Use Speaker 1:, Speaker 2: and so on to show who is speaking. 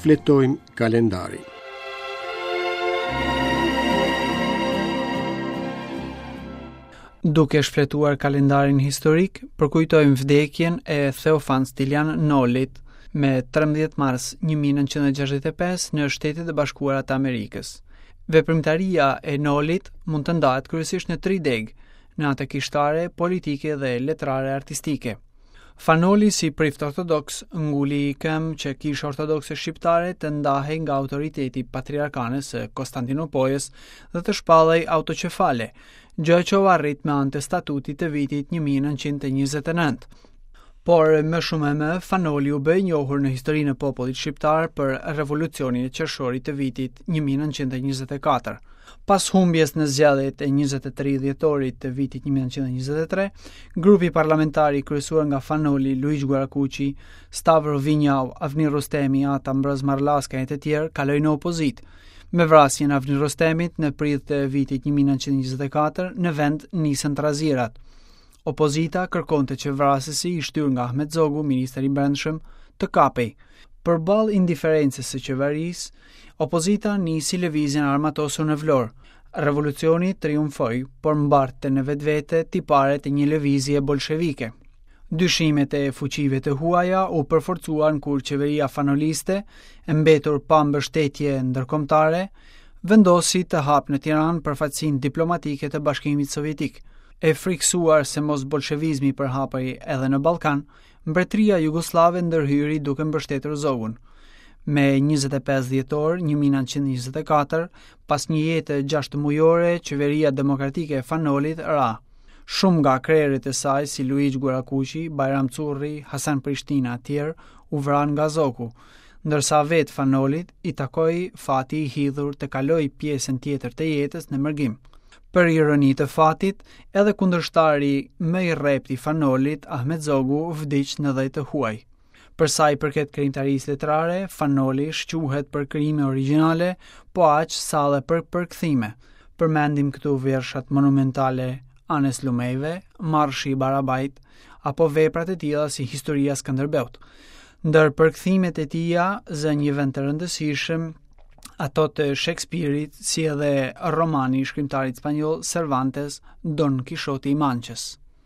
Speaker 1: Shfletojmë kalendarin.
Speaker 2: Duke shfletuar kalendarin historik, përkujtojmë vdekjen e Theofan Stilian Nolit me 13 mars 1965 në Shtetet e Bashkuara të Amerikës. Veprimtaria e Nolit mund të ndahet kryesisht në tri degë, në atë kishtare, politike dhe letrare artistike. Fan Noli si prift ortodoks nguli këmbë që kisha ortodokse shqiptare të ndahej nga autoriteti i patriarkanës së Konstantinopojës dhe të shpallej autoqefale, gjë që u arrit me anë të statutit të vitit 1929. Por më shumë e më, Fan Noli u bë i njohur në historinë e popullit shqiptar për revolucionin e qershorit të vitit 1924. Pas humbjes në zgjedhjet e 23 dhjetorit të vitit 1923, grupi parlamentar i kryesuar nga Fan Noli, Luigj Gurakuqi, Stavro Vinjau, Avni Rustemi, At Ambroz Marlaska e të tjerë kaloi në opozitë. Me vrasjen e Avni Rustemit në prill të vitit 1924, në vend nisën trazirat. Opozita kërkonte që vrasësi i shtyrë nga Ahmet Zogu, ministër i Brendshëm, të kapej. Përballë indiferencës së qeverisë, opozita nisi lëvizjen e armatosur në Vlorë. Revolucioni triumfoi, por mbartte në vetvete tiparet e një lëvizje bolshevike. Dyshimet e fuqive të huaja u përforcuan kur qeveria fanoliste, e mbetur pa mbështetje ndërkombëtare, vendosi të hapë në Tiranë përfaqësinë diplomatike të Bashkimit Sovjetik. E frikësuar se mos bolshevizmi përhapej edhe në Ballkan, Mbretëria Jugosllave ndërhyri duke mbështetur Zogun. Me 25 dhjetor 1924, pas një jete gjashtëmujore, qeveria demokratike e Fan Nolit ra. Shumë nga krerët e saj si Luigj Gurakuqi, Bajram Curri, Hasan Prishtina e tjerë u vranë nga Zogu, ndërsa vetë Fan Nolit i takoi fati i hidhur të kalojë pjesën tjetër të jetës në mërgim. Për ironi të fatit, edhe kundërshtari më i rreptë i Fan Nolit, Ahmet Zogu, vdiq në dhe të huaj. Për sa i përket krijimtarisë letrare, Fan Noli shquhet për krijime origjinale, po aq sa edhe për përkthime. Përmendim këtu vjershat monumentale Anës Lumejve, Marshi i Barabajt, apo veprat e tilla si Historia e Skënderbeut. Ndër përkthimet e tija zë një vend të rëndësishëm ato të Shekspirit, si edhe romani i shkrimtarit spanjoll Cervantes, Don Kishoti i Mançës.